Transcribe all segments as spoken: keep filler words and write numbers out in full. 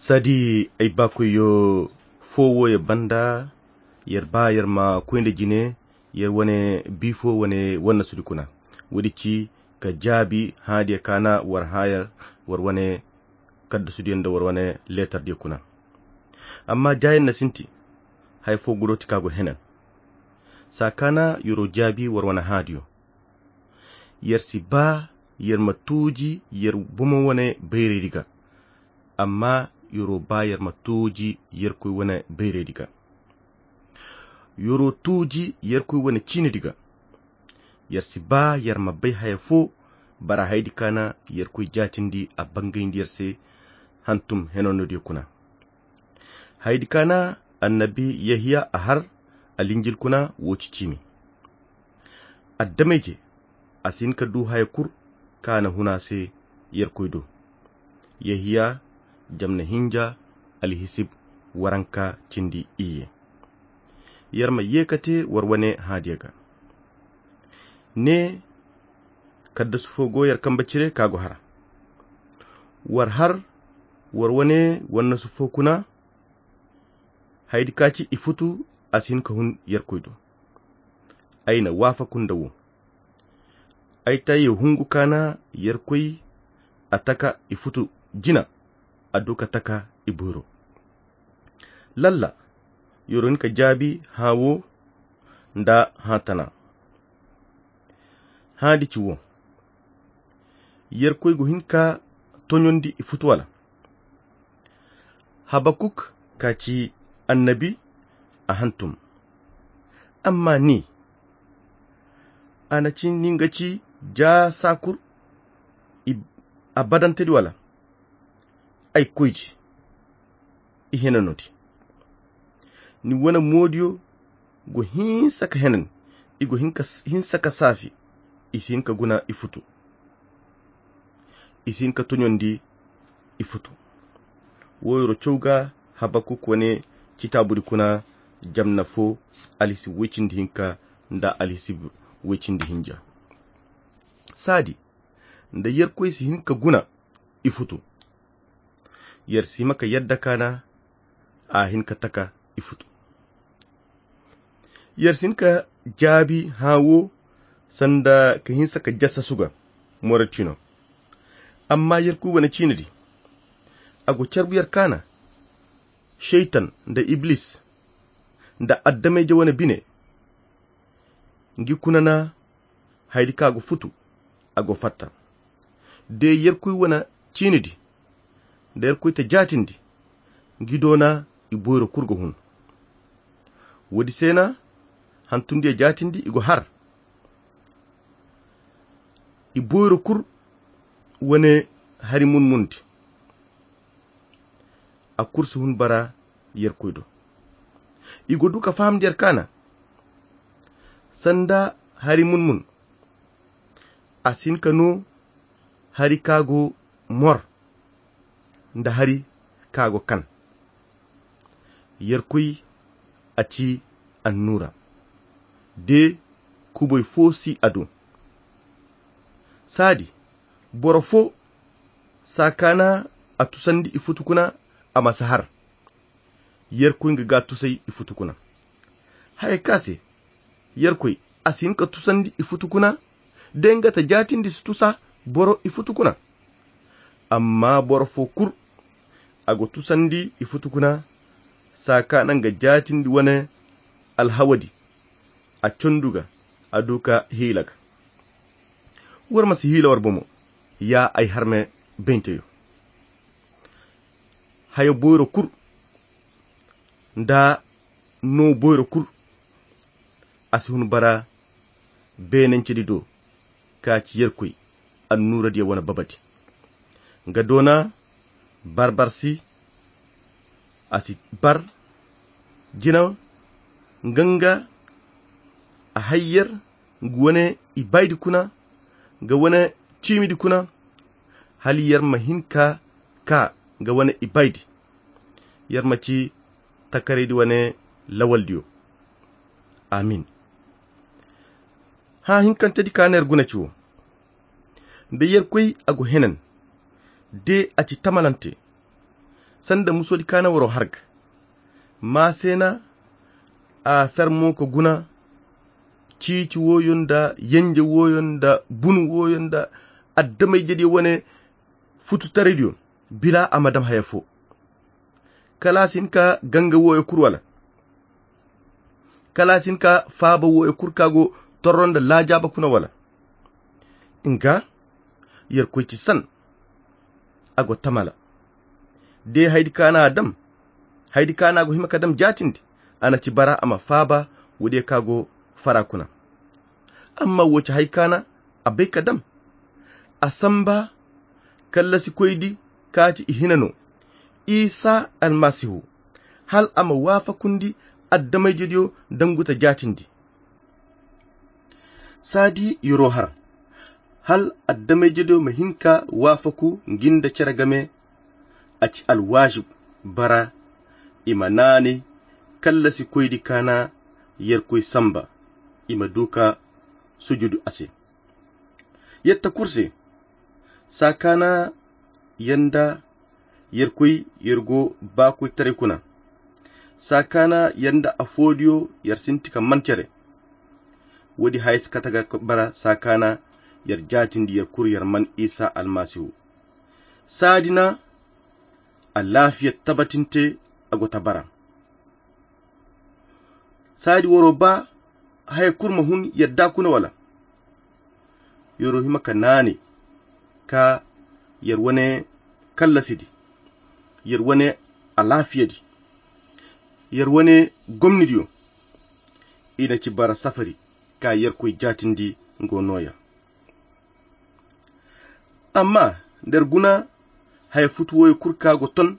Sadi ay baakoyyo fo wooyo banda, yer ba yer ma koy nda jine yer wane biifo wane wannasudi kuna. Woodi ci ka jaabi hãadiyo kaana war hãa yer war wane kaddasudiyo nda war wane leetardiyo kuna. Amma jaayaŋ na sinti haya fo guroti ka go henan. Saa kaana yer'o jaabi war wane hãadiyo. Yer si baa yer ma tuuji yer bomo wane bayraydi ga, amma yer'o baa yer ma tuuji yerkoy wane bayraydi ga. Yer'o tuuji yerkoy wane ciinidi ga. Yer si baa yer ma bay haya fo bara hayadi kaana yerkoy jaatindi a bangayndi yer se hantum henanodiyo kuna. Hayadi kaana annabi yehiya a har alinjil kuna woo ci ciimi. Addamayje a si hin ka duu haya kul kaŋ a na hun a se yerkoy do. Yehiya jamna hinja alhisib waranka cindi iyye. Yer ma yee ka tee war wane hãadiyo ga. Ne kaddasu fo go yer kambe cire ka go hara. War har war wane wannasu fo kuna. Hayadi ka ci i futu a si hin ka hun yerkoy do. Ay na waafaku nda woo. Ay tayyo hungu kaana yerkoy a taka i futu jina. A duu ka taka i boyro. Lalla yer'o hin ka jaabi hãa woo nda hãa tana. Hãadi ci woo. Yerkoy go hin ka toɲondi i futu wala? Habakuk ka ci annabi a hantum. Amma ni a na ci ni nga ci jaa saa kul a badantedi wala? Ay koyji i henanodi. Ni wane moodiyo go hinsa ka henan. I go hinsa ka saafi. I si hin ka guna i futu. I si hin ka toɲondi i futu. Woo yer'o caw ga habakuk wane citaabudi kuna jamna fo alhisib woy cindi hinka nda alhisib woy cindi hinja. Saadi nda yerkoy si hin ka guna i futu. Yer si hima ka yadda kaana a hin ka taka i futu. Yer si hin ka jaabi hãa woo sanda ka hinsa ka jassasu ga morocino. Amma yerkoy wane ciinidi a go carbu yer kaana. Seytan nda iblis nda addamayje wane bine ngi kuna na hayadi ka go futu a go fatta. De yerkoy wane ciinidi nda yerkoy ta jaatindi ngi doona i boyro kul go hun. Woodi se na hantumdiyo jaatindi i go har i boyro kul wane hari munmundi. A kul si hun bara yerkoy do. I go duu ka fahamndi yer kaana sanda hari munmun a si hin ka noo hari ka go mor nda hari ka go kan. Yerkoy a ci annuura de kubay foo si a do. Saadi boro foo saa kaana a tusandi i futu kuna a ma si har. Yerkoy nga ga a tusay i futu kuna. Haya ka se yerkoy a si hin ka tusandi i futu kuna de nga ta jaatindi si tusa boro i futu kuna. Amma boro foo kul a go tusandi i futu kuna saa kaana nga jaatindi wane alhawadi a condu ga a duu ka hiila ga. War ma si hiila war bomo ya ay harme baynteyo. Hayo boyro kul nda noo boyro kul a si hun bara beenancedi do ka ci yerkoy annuuradiyo wane babadi. Nga doona barbarsi a si bar jina nga nga a hay yer nga wane ibaydi kuna nga wane ciimidi kuna hala yer ma hin ka ka nga wane ibaydi. Yer ma ci takaraydi wane lawaldiyo. Amin. Hã hinkantedi ka neer guna ci wo nda yerkoy a go henan de a ci tamalante. sanda musodi kaana waro harga. Maasena a fermo ka guna ciici woyo nda yenje woyo nda bunu woyo nda addamayjediyo wane fututaraydiyo bila a ma dam haya fo. Kala a si hin ka ganga woyo kulu wala? Kala a si hin ka faaba woyo kulu ka go torro nda laajaaba kuna wala? Nga yerkoy ci san a go tamala. De haydi kaana a dam haydi kaana a go hima ka dam jaatindi a na ci bara a ma faaba. Wode ka go fara kuna. Amma wo ci hay kaana a bay ka dam a samba kallasikoydi ka ci i hina no isa almasihu hal a ma waafakundi addamayjediyo danguta jaatindi. Saadi yoro har hal addamayjediyo ma hin ka waafaku ngi nda cere game. A ci alwaajib bara i ma naanay kallasikoydi kaana yerkoy samba i ma du ka sujudu a se. Yetta kulu se saa kaana yer nda yerkoy yer go baakoytaray kuna. Saa kaana yer nda afoodiyo yer sinti ka man cere. Woodi haya si kate ga bara saa kaana yer jaatindi yer kulu yer man isa almasihu. Saadi na alaafiya tabatinte a go ta bara. Saadi waro ba haya kulu ma hun yadda kuna wala? Yaro hima ka naani ka yer wane kallasidi, yer wane alaafiyadi, yer wane gomnidiyo. I na ci bara safari ka yerkoy jaatindi ngo nooya. Amma nder guna haya futu woyo kulu ka go ton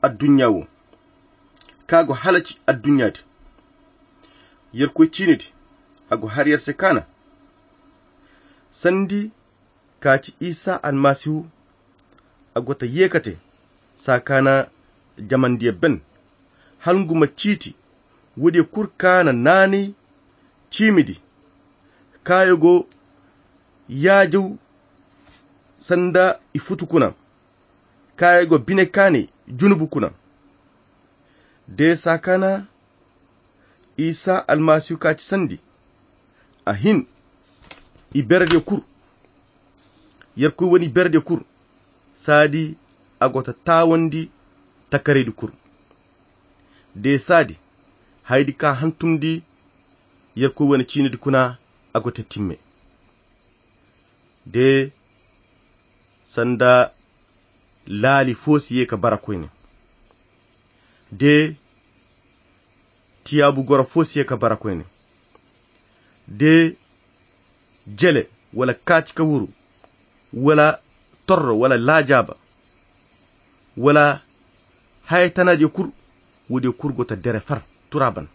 adduɲɲa wo ka go halaci adduɲɲa di. Yerkoy ciinidi a go har yer se kaana sandi ka ci isa almasihu. A go ta yeekate saa kaana jamandiya ben hal ngu ma ciiti woodiya kulu kaana naanay ciimidi kaayo go yaajaw sanda i futu kuna kaayo go bine kaanay junubu kuna. De saa kaana isa almasihu ka ci sandi a hin i berediyo kulu yerkoy wane i berediyo kulu. Saadi a go ta taawandi takaraydi kulu de saadi haydi ka hantumndi yerkoy wane ciinidi kuna a go ta timme de sanda laali fo si ye ka bara koyne de tiyaabu goro fo si ye ka bara koyne de jele wala kaati ka wuru wala torro wala laajaaba wala haya tana diyo kulu. Wo diyo kulu go ta dere far turaban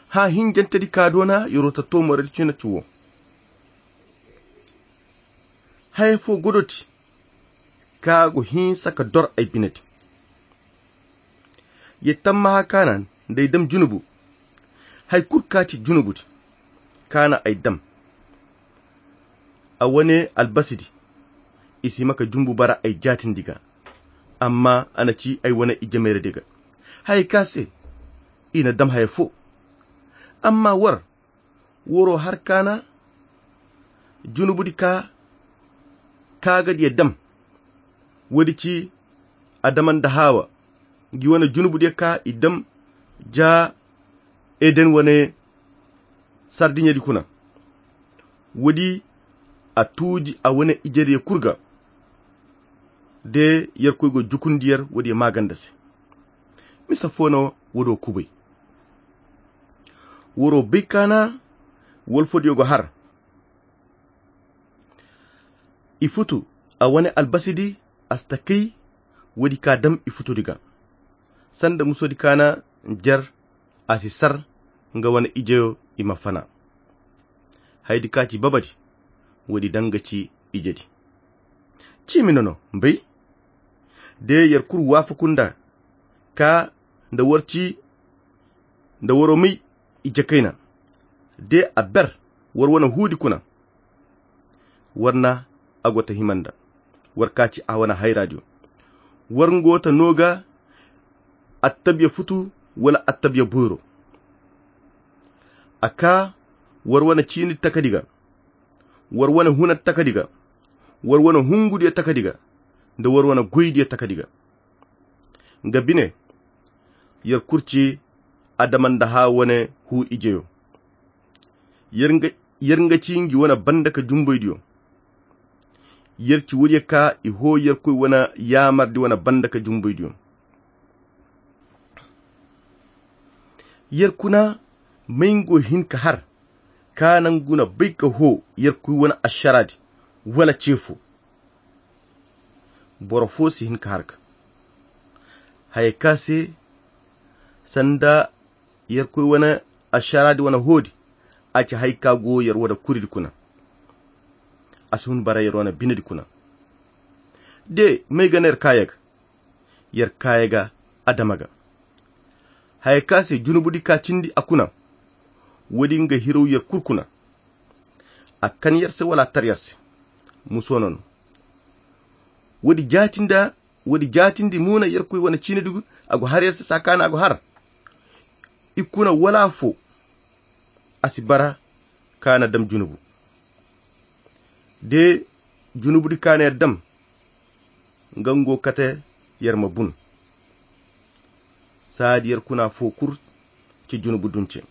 ha hinjante di ka doona yoro ta toomore di cina ci wo haya fo godo ti ka go hinsa ka dor ay bine di. Ye tammaha kaana nda ay dam junubu hay kulu ka ci junubu di kaana ay dam a wane albasi di i si hima ka jumbu bara ay jaatindi ga. Amma a na ci ay wane ijemayradi ga haya ka se i na dam haya fo. Amma war woro har kaana junubu di ka kaagadiya dam. Woodi ci adama nda haawa ngi wane junubu diya ka i dam ja eden wane sardiɲedi kuna. Woodi a tuuji a wane ijediya kulu ga de yerkoy go jukundi yer woodiya maaganda se. Misa fo no woodi wo kubay woro bay kaana wolfodiyo go har i futu a wane albasi di a si ta kay woodi ka dam i futudi ga sanda musodi kaana jer a si sar nga wane ijeyo i ma fana. Haydi ka ci babadi woodi danga ci ijedi ciimi nono mbay de yer kulu waafaku nda ka nda war ci nda waro may ije kayna de a ber war wane huudi kuna. War na a go ta hima nda war ka ci a wane hayraadiyo War ngo ta no ga attabiya futu wala attabiya boyro. A ka war wane ciini takadi ga, war wane huna takadi ga, war wane hungudiya takadi ga, nda war wane goydiya takadi ga. Nga bine, yer kurci adama nda ha wane hu ijeyo. Yer nga yer nga ci ngi wane banda ka jumboydiyo. Yer ci wuriye ka i ho yer koy wane yaamardi wane banda ka jumboydiyo. Yer kuna may ngo hin ka har ka na ngu na bay ka ho yer koy wane asharadi wala cefo. Boro fo si hin ka har ka haya ka se sanda yer koy wane asharaadi wane hoodi. A ci hay ka go yer wane kuridi kuna. A si hun bara yer wane binedi kuna. De may ga na yer kaaya ga yer kaaya ga adama ga haya ka se junubudi ka cindi a kuna. Woodi nga hirow yer kul kuna. A kan yer se wala a tar yer se. Muso no no woodi jaatinda woodi jaatindi mo na yer koy wane ciinidi gu a go har yer se saa ka na a go har. I kuna wala afo a si bara ka na dam junubu. De junubudi ka na yer dam nga ngo kate yer ma bun. Saadi yer kuna fo kul ci junubu dunce.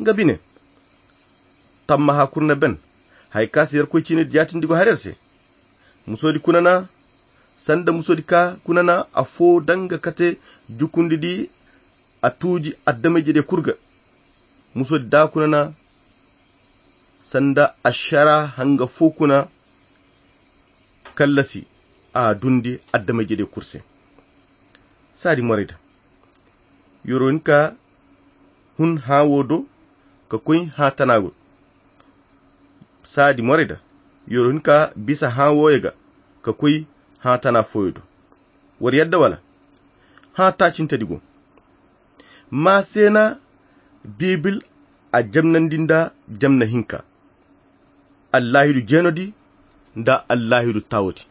Nga bine tamma ha kul na ben hay ka se yer koy ciinidi jaatindi go har yer se. Musoodi kuna na sanda musoodi ka kuna na afo danga kate jukundidi a tuuji adamay-jediyo kul ga. Musoodi da kuna na sanda ashara hanga fo kuna kallasi a dundi adamay-jediyo kul se. Saadi morayda yoro hin ka hun hã wo do ka koy hã tana go. Saadi morayda yoro hin ka bisa hã wooyo ga ka koy hã tana fooyo do. War yadda wala hã taacintedi go. Ma se na biibil a jamnandi nda jamna hinka allaahidu jeenodi nda allaahidu taawodi.